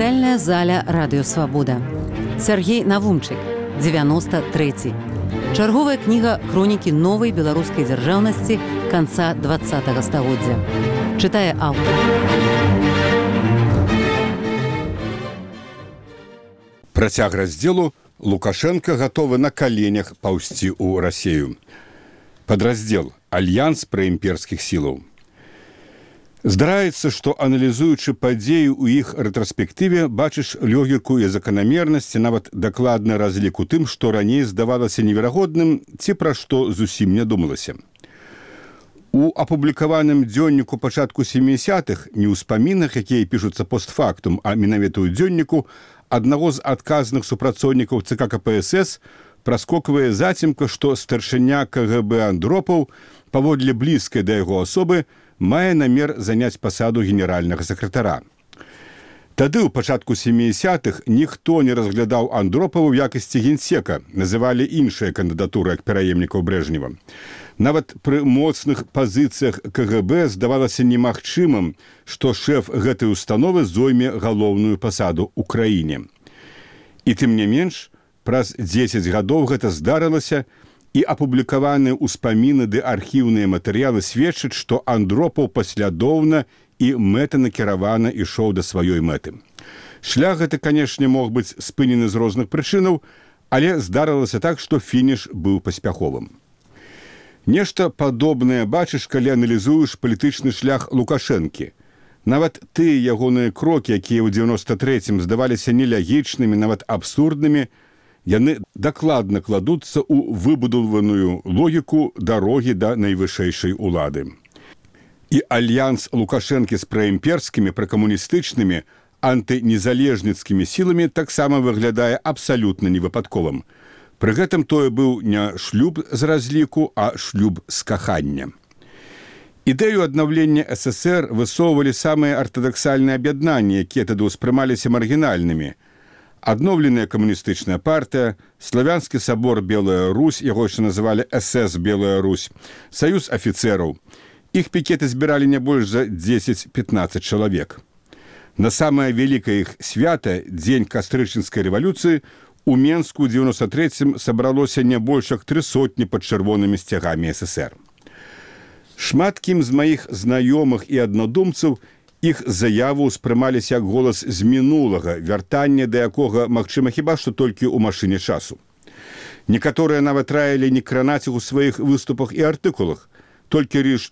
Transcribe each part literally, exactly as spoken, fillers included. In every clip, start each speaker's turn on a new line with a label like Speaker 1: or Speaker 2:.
Speaker 1: чытальная заля радыёвабода. Сяргей Навумчык, дзевяносто трэці. Чарговая кніга хронікі новай беларускай дзяржаўнасці канца двадцатага стагоддзя. Чытае аўтар.
Speaker 2: Працяг раздзелу Лукашенко гатовы на каленях паўсці ў Расею. Падраздзел «Альянс праімперскіх сілаў». Здараецца, што, аналізуючы падзеі ў іх рэтраспектыве, бачыш логіку і заканамернасці, нават дакладны разлік у тым, што раней здавалася неверагодным, ці пра што зусім не думалася. У апублікаваным дзённіку пачатку сямідзесятых, не ў ўспамінах, якія пішуцца постфактум, а менавіта ў дзённіку, аднаго з адказных супрацоўнікаў ЦК КПСС праскоквае зацімка, што старшыня КГБ Андропаў, паводле блізкай да яго асобы, мае намер заняць пасаду генеральнага сакратара. Тады, у пачатку сямідзесятых, ніхто не разглядаў Андропава ў якасці генсека, называлі іншыя кандыдатуры як пераемнікаў Брэжнева. Нават пры моцных пазіцыях КГБ здавалася немагчымым, што шэф гэтай установы зойме галоўную пасаду ў краіне. І тым не менш, праз дзесяць гадоў гэта здарылася, і апублікаваныя ўспаміны ды архіўныя матэрыялы сведчаць, што Андропаў паслядоўна і мэтанакіравана ішоў да сваёй мэты. Шлях гэты, канешне, мог быць спынены з розных прычынаў, але здарылася так, што фініш быў паспяховым. Нешта падобнае бачыш, калі аналізуеш палітычны шлях Лукашэнкі. Нават тыя ягоныя крокі, якія ў дзевяноста трэцім здаваліся нелягічнымі, нават абсурднымі, яны дакладна кладуцца ў выбудаваную логіку дарогі да найвышэйшай улады. І альянс Лукашэнкі з праімперскімі, пракамуністычнымі, антынезалежніцкімі сіламі таксама выглядае абсалютна невыпадковым. Пры гэтым тое быў не шлюб з разліку, а шлюб з кахання. Ідэю аднаўлення ССР высоўвалі самыя артадаксальныя аб'яднанні, якія тады ўспрымаліся маргінальнымі. Адноўленая камуністычная партыя, Славянскі сабор Белая Русь, яго яшчэ называлі СС Белая Русь, Саюз афіцэраў. Іх пікеты збіралі не больш за дзесяць-пятнаццаць чалавек. На самае вялікае іх свята, дзень кастрычніцкай рэвалюцыі, у Менску ў дзевяноста трэцім сабралося не больш як тры сотні пад чырвонымі сцягамі ССР. Шмат кім з маіх знаёмых і аднадумцаў іх заяву ўспрымаліся як голас з мінулага, вяртанне да якога магчыма хіба што толькі ў машыне часу. Некаторыя нават раілі не кранаць іх у сваіх выступах і артыкулах, толькі ріш...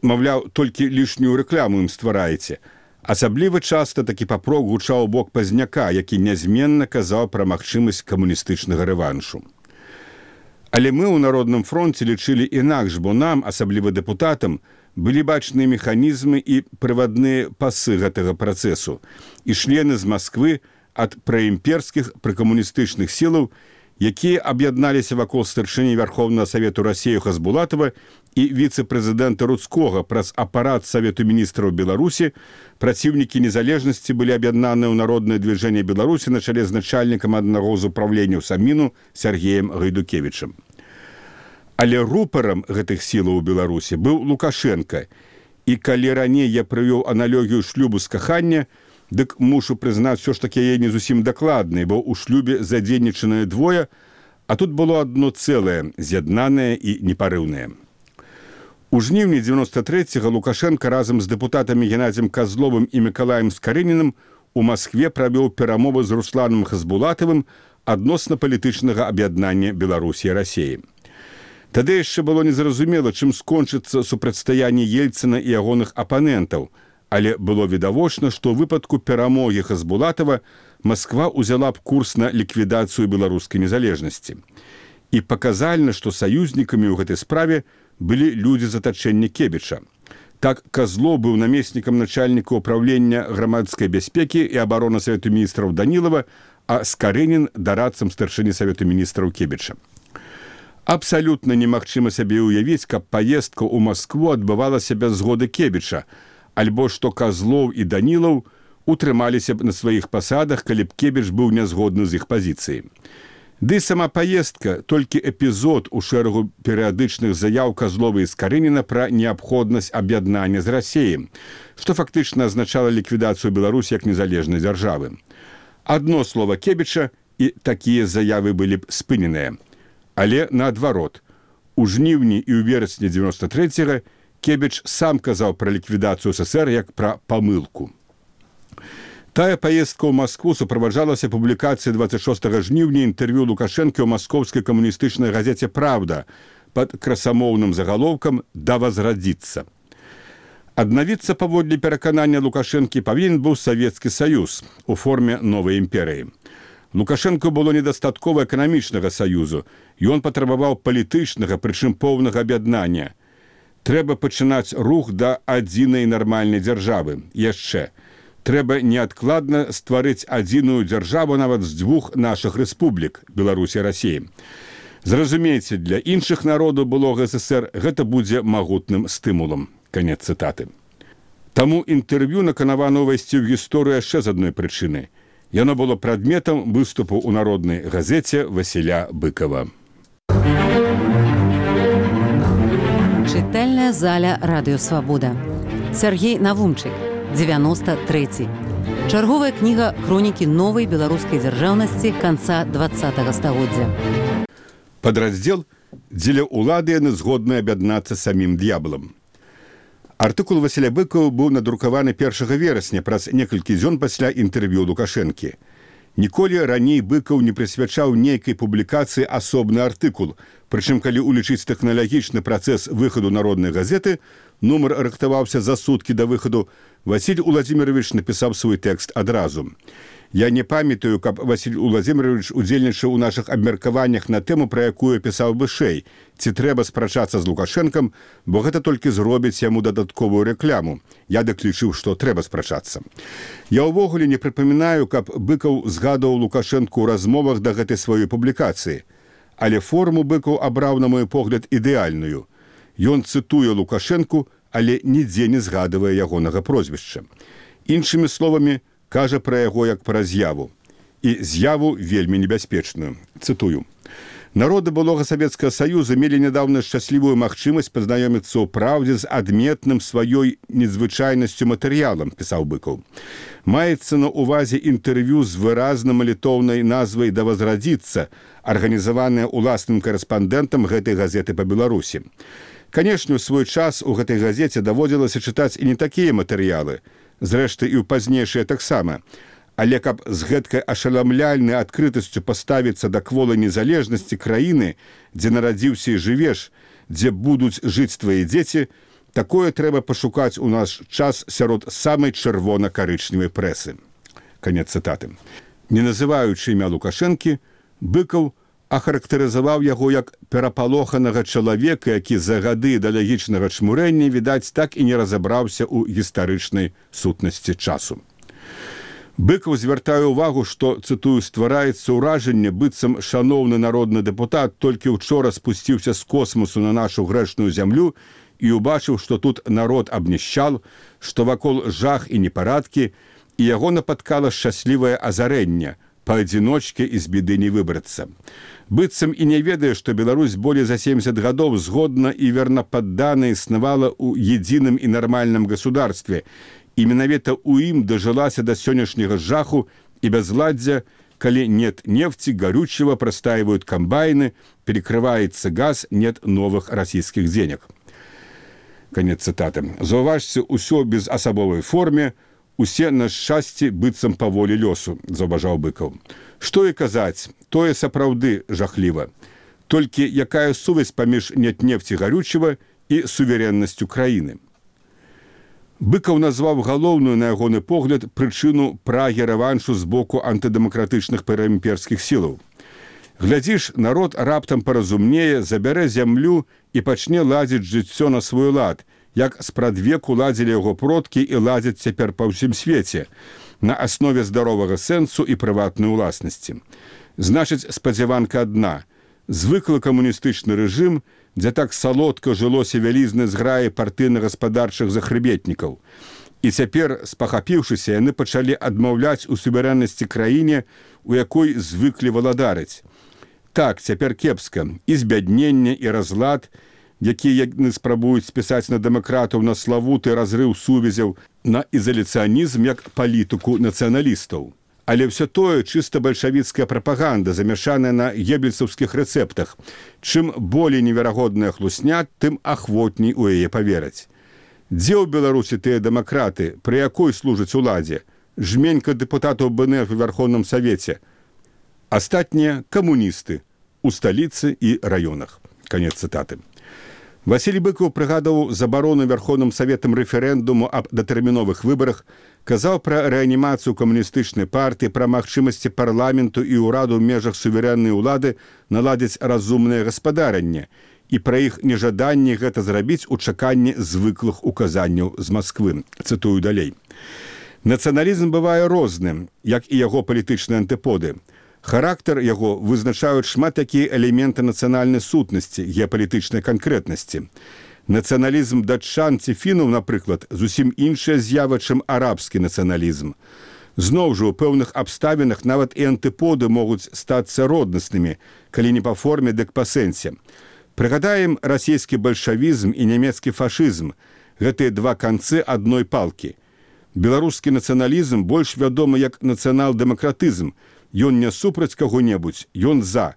Speaker 2: маўляў, толькі лішнюю рэкламу ім ствараеце. Асабліва часта такі папрок гучаў у бок пазняка, які нязменна казаў пра магчымасць камуністычнага рэваншу. Але мы ў Народным фронце лічылі інакш, бо нам, асабліва дэпутатам, былі бачныя механізмы і прывадныя пасы гэтага працэсу, і члены з Масквы ад праімперскіх пракамуністычных сілаў, якія аб'ядналіся вакол старшыні Вярхоўнага Савету Расею Хасбулатава і віцэ-прэзідэнта Руцкога праз апарат Савету міністраў Беларусі, праціўнікі незалежнасці былі аб'яднаныя ў Народнае движение Беларусі на чале з начальнікам аднаго з управленняў Саміну Сергеем Гайдукевічам. Але рупарам гэтых сілаў у Беларусі быў Лукашенко, і калі раней я прывёў аналогію шлюбу з кахання, дык мушу прызнаць, усё ж такі яе не зусім дакладнай, бо ў шлюбе задзейнічаныя двое, а тут было адно цэлае, з'яднанае і непарыўнае. У жніўні дзевяноста трэцяга Лукашенко разам з дэпутатамі Геннадзем Казловым і Мікалаем Скарынінам у Маскве правёў перамовы з Русланам Хасбулатавым адносна палітычнага аб'яднання Беларусі і Расеі. Тады яшчэ было незразумела, чым скончыцца супрацьстаянне Ельцына і ягоных апанентаў, але было відавочна, што ў выпадку перамогі Хасбулатава Масква ўзяла б курс на ліквідацыю беларускай незалежнасці. І паказальна, што саюзнікамі ў гэтай справе былі людзі з атачэння Кебіча. Так, Казлоў быў намеснікам начальніка ўправлення грамадскай бяспекі і абароны Савету міністраў Данілава, а Скарынін дарадцам старшыні Савету міністраў Кебіча. Абсалютна немагчыма сабе ўявіць, каб паездка ў Маскву адбывалася без згоды Кебіча, альбо што Казлоў і Данілаў утрымаліся б на сваіх пасадах, калі б Кебіч быў нязгодны з іх пазіцыяй. Ды сама паездка толькі эпізод у шэрагу перыядычных заяў Казлова і Скарыніна пра неабходнасць аб'яднання з Расіяй, што фактычна азначала ліквідацыю Беларусі як незалежнай дзяржавы. Адно слова Кебіча, і такія заявы былі б спыненыя. Але наадварот, у жніўні і ў верасні дзевяноста трэцяга Кебіч сам казаў пра ліквідацыю СССР як пра памылку. Тая паездка ў Маскву суправаджалася публікацыяй дваццаць шостага жніўня інтэрв'ю Лукашэнкі ў маскоўскай камуністычнай газеце «Правда» пад красамоўным загалоўкам «Да возродиться». Аднавіцца паводле пераканання Лукашэнкі павінен быў Савецкі Саюз у форме новай імперыі. Лукашэнку было недастаткова эканамічнага саюзу, і ён патрабаваў палітычнага, прычым поўнага аб'яднання. Трэба пачынаць рух да адзінай нармальнай дзяржавы. Яшчэ. Трэба неадкладна стварыць адзіную дзяржаву нават з дзвюх нашых рэспублік, Беларусі і Расіі. Зразумейце, для іншых народаў былога СССР гэта будзе магутным стымулам. Канец цытаты. Таму інтэрв'ю наканавана ўвайсці ў гісторыю яшчэ з адной прычыны. Яно было прадметам выступу ў народнай газеце Васіля Быкова.
Speaker 1: Чытальная заля радыё «Свабода». Сергей Навумчык, дзевяноста трэці. Чарговая кніга хронікі новай беларускай дзяржаўнасці канца дваццатага стагоддзя.
Speaker 2: Падраздзел «Дзеля ўлады яны згодны аб'яднацца самім д'яблам». Артыкул Васіля Быкова быў надрукаваны першага верасня праз некалькі дзён пасля інтэрв'ю Лукашэнкі. Ніколі раней Быкаў не прысвячаў нейкай публікацыі асобны артыкул, прычым калі улічыць тэхналагічны працэс выхаду народнай газеты, нумар рыхтаваўся за суткі да выхаду, Васіль Уладзімірович напісаў свой тэкст адразу. Я не памятаю, каб Васіль Уладзімірович удзельнічаў у нашых абмеркаваннях на тэму, пра якую пісаў вышэй, ці трэба спрачацца з Лукашэнкам, бо гэта толькі зробіць яму дадатковую рэкляму. Я дык лічыў, што трэба спрачацца. Я ўвогуле не прыпамінаю, каб Быкаў згадаў Лукашэнку ў размовах да гэтай сваёй публікацыі. Але форму Быкаў абраў, на мой погляд, ідэальную. Ён цытуе Лукашэнку, але нідзе не згадывае ягонага прозвішча. Іншымі словамі, кажа пра яго як пра з'яву. І з'яву вельмі небяспечную. Цытую. Народы былога Савецкага Саюза мелі нядаўна шчаслівую магчымасць пазнаёміцца ў праўдзе з адметным сваёй незвычайнасцю матэрыялам, пісаў Быкаў. Маецца на ўвазе інтэрв'ю з выразна малітоўнай назвай «Да возродиться», арганізаванае ўласным карэспандэнтам гэтай газеты па Беларусі. Канешне, у свой час у гэтай газеце даводзілася чытаць і не такія матэрыялы, зрэшты, і ў пазнейшыя таксама. Але каб з гэткай ашаламляльнай адкрытасцю паставіцца да кволай незалежнасці краіны, дзе нарадзіўся і жывеш, дзе будуць жыць твае дзеці, такое трэба пашукаць у наш час сярод самай чырвона-карычневай прэсы. Канец цытаты. Не называючы імя Лукашэнкі, Быкаў ахарактарызаваў яго як перапалоханага чалавека, які за гады ідэалагічнага чмурэння, відаць, так і не разабраўся ў гістарычнай сутнасці часу. Быкаў звяртае ўвагу, што, цытую, ствараецца ўражанне, быццам шаноўны народны дэпутат толькі ўчора спусціўся з космосу на нашу грэшную зямлю і убачыў, што тут народ абнішчал, што вакол жах і непарадкі, і яго напаткала шчаслівае азарэнне, паадзіночке і з біды не выбрацца. Быццам і не ведае, што Беларусь болей за семдзесят гадоў згодна і вернападдана існавала ў едзіным і нармальным государстве, і менавіта ў ім дажылася да сённяшняга жаху і бязладдзя, калі нет нефти, горючего, простаивают комбайны, перекрывается газ, нет новых российских денег. Конец цитаты. Заўважце, усё без асабовай форме, усе на шчасці быццам па волі лёсу, заўважаў Быкаў. Што і казаць, тое сапраўды жахліва. Толькі якая сувязь паміж нет нефти горючего і суверэннасцю краіны. Быкаў назваў галоўную, на ягоны погляд, прычыну прагі рэваншу з боку антыдэмакратычных праімперскіх сілаў. Глядзіш, народ раптам паразумнее, забярэ зямлю і пачне ладзіць жыццё на свой лад, як спрадвеку ладзілі яго продкі і ладзяць цяпер па ўсім свеце, на аснове здаровага сэнсу і прыватнай уласнасці. Значыць, спадзяванка адна. Звыклы камуністычны рэжым, дзе так салодка жылося вялізнай зграі партыйна-гаспадарчых захрыбетнікаў. І цяпер, спахапіўшыся, яны пачалі адмаўляць у суверэннасці краіне, у якой звыклі валадарыць. Так, цяпер кепска. І збядненне, і разлад, якія яны спрабуюць спісаць на дэмакратаў, на славуты разрыў сувязяў, на ізаляцыянізм як палітыку нацыяналістаў. Але ўсё тое чыста бальшавіцкая прапаганда, замяшаная на геббельсаўскіх рэцэптах. Чым болей неверагодная хлусня, тым ахвотней у яе павераць. Дзе ў Беларусі тыя дэмакраты, пры якой служаць уладзе? Жменька дэпутатаў БНФ у Верховным Савеце. Астатнія камуністы у сталіцы і раёнах. Канец цытаты. Васіль Быкаў прыгадаў забарону Верховным Саветам рэферэндуму аб датэрміновых выбарах, казаў пра рэанімацыю камуністычнай партыі, пра магчымасці парламенту і ўраду ў межах суверэннай улады наладзіць разумнае гаспадаранне і пра іх нежаданне гэта зрабіць у чаканні звыклых указанняў з Масквы. Цытую далей. Нацыяналізм бывае розным, як і яго палітычныя антыподы. Характар яго вызначаюць шмат такія элементы нацыянальнай сутнасці, геапалітычнай канкрэтнасці. Нацыяналізм датчан ці фінаў, напрыклад, зусім іншая з'ява, чым арабскі нацыяналізм. Зноў жа, у пэўных абставінах нават і антыподы могуць стацца роднаснымі, калі не па форме, дык па сэнсе. Прыгадаем расійскі бальшавізм і нямецкі фашызм. Гэтыя два канцы адной палкі. Беларускі нацыяналізм больш вядомы як нацыянал-дэмакратызм. Ён не супраць каго-небудзь, ён за.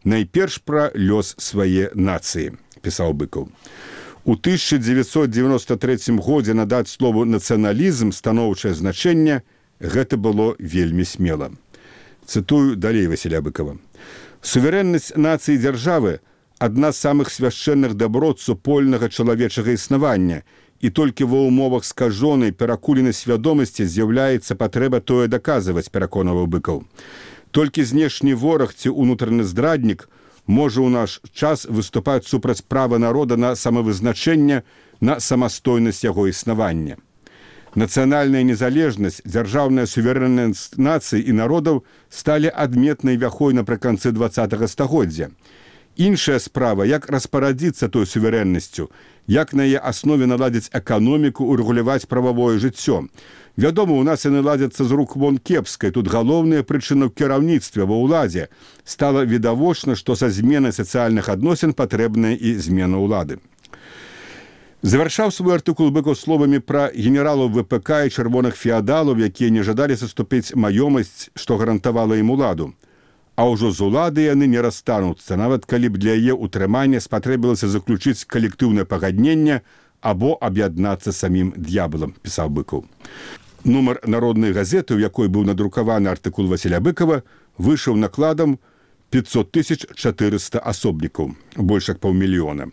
Speaker 2: Найперш пра лёс свае нацыі, пісаў Быкаў. У тысяча дзевяцьсот дзевяноста трэцім годзе надаць слову нацыяналізм станоўчае значэнне, гэта было вельмі смела. Цытую далей Васіля Быкава. Суверэннасць нацыі дзяржавы – адна з самых свяшчэнных даброт супольнага чалавечага існавання, і толькі ва ўмовах скажонай перакуленай свядомасці з'яўляецца патрэба тое даказваць, пераконаваў Быкаў. Толькі знешні вораг ці ўнутраны здраднік можа ў наш час выступаць супраць права народа на самавызначэнне, на самастойнасць яго існавання. Нацыянальная незалежнасць, дзяржаўная суверэннасць нацый і народаў сталі адметнай вяхой напрыканцы дваццатага стагоддзя. Іншая справа, як распарадзіцца той суверэннасцю, як на яе аснове наладзіць эканоміку, урэгуляваць прававое жыццё. Вядома, у нас яны ладзяцца з рук вон кепскай, тут галоўная прычына ў кіраўніцтве, ва ўладзе. Стала відавочна, што са зменай сацыяльных адносін патрэбная і змена ўлады. Завяршаў свой артыкул Быкаў словамі пра генералаў ВПК і чырвоных феадалаў, якія не жадалі саступіць маёмасць, што гарантавала ім уладу. А ўжо з улады яны не расстануцца, нават калі б для яе ўтрымання спатрэбілася заключыць калектыўнае пагадненне або аб'яднацца самім д'ябалам, пісаў Быкаў. Нумар народнай газеты, у якой быў надрукаваны артыкул Васіля Быкава, выйшаў накладам пятьсот тысяч четыреста асобнікаў, больш як паўмільёна.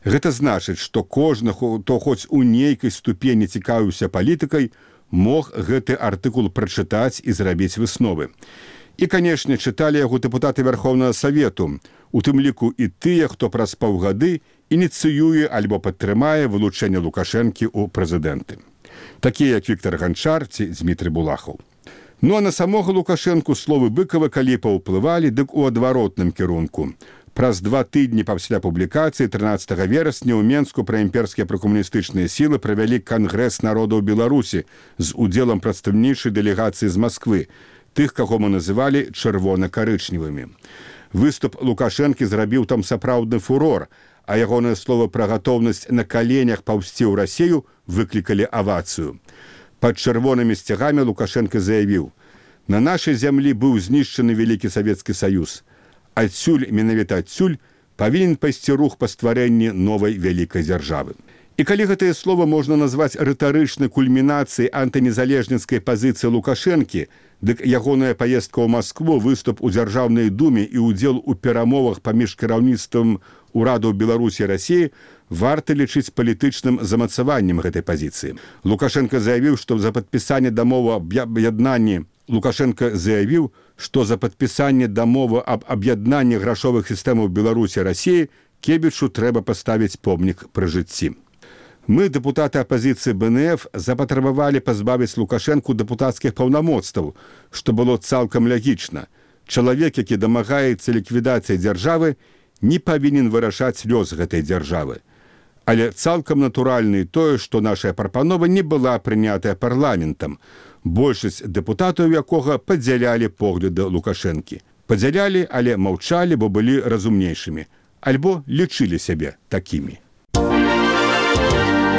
Speaker 2: Гэта значыць, што кожны, хто хоць у нейкай ступені цікавіўся палітыкай, мог гэты артыкул прачытаць і зрабіць высновы. І, канешне, чыталі яго дэпутаты Верховнага Савету, у тым ліку і тыя, хто праз паўгады ініцыюе альбо падтрымае вылучэнне Лукашэнкі ў прэзідэнты. Такія, як Віктор Ганчар ці Дзмітрый Булахаў. Ну а на самога Лукашэнку словы Быкава калі паўплывалі, дык у адваротным кірунку. Праз два тыдні пасля публікацыі трынаццатага верасня ў Менску праімперскія пракамуністычныя сілы правялі Кангрэс народаў Беларусі з удзелам прадстаўнічай дэлегацыі з Масквы, тых, каго мы называлі чырвона-карычневымі. Выступ Лукашэнкі зрабіў там сапраўдны фурор, а ягонае слова пра гатоўнасць на каленях паўзці ў Расію выклікалі авацыю. Пад чырвонымі сцягамі Лукашэнка заявіў: «На нашай зямлі быў знішчаны Вялікі Савецкі Саюз. Адсюль, менавіта адсюль, павінен пайсці рух па стварэнні новай вялікай дзяржавы». І калі гэтае слова можна назваць рытарычнай кульмінацыяй антынезалежніцкай пазіцыі Лукашэнкі, дык ягоная паездка ў Маскву, выступ у Дзяржаўнай думе і ўдзел у перамовах паміж кіраўніцтвам урадаў Беларусі і Расіі варта лічыць палітычным замацаваннем гэтай пазіцыі. Лукашенко заявіў, што за падпісанне дамовы аб аб'яднанні Лукашенко заявіў, што за падпісанне дамовы аб аб'яднанні грашовых сістэмаў Беларусі і Расіі Кебічу трэба паставіць помнік пры жыцці. Мы, дэпутаты апазіцыі БНФ, запатрабавалі пазбавіць Лукашэнку дэпутацкіх паўнамоцтваў, што было цалкам лягічна. Чалавек, які дамагаецца ліквідацыі дзяржавы, не павінен вырашаць лёс гэтай дзяржавы. Але цалкам натуральна і тое, што наша прапанова не была прынятая парламентам, большасць дэпутатаў якога падзялялі погляды Лукашэнкі. Падзялялі, але маўчалі, бо былі разумнейшымі, альбо лічылі сябе такімі.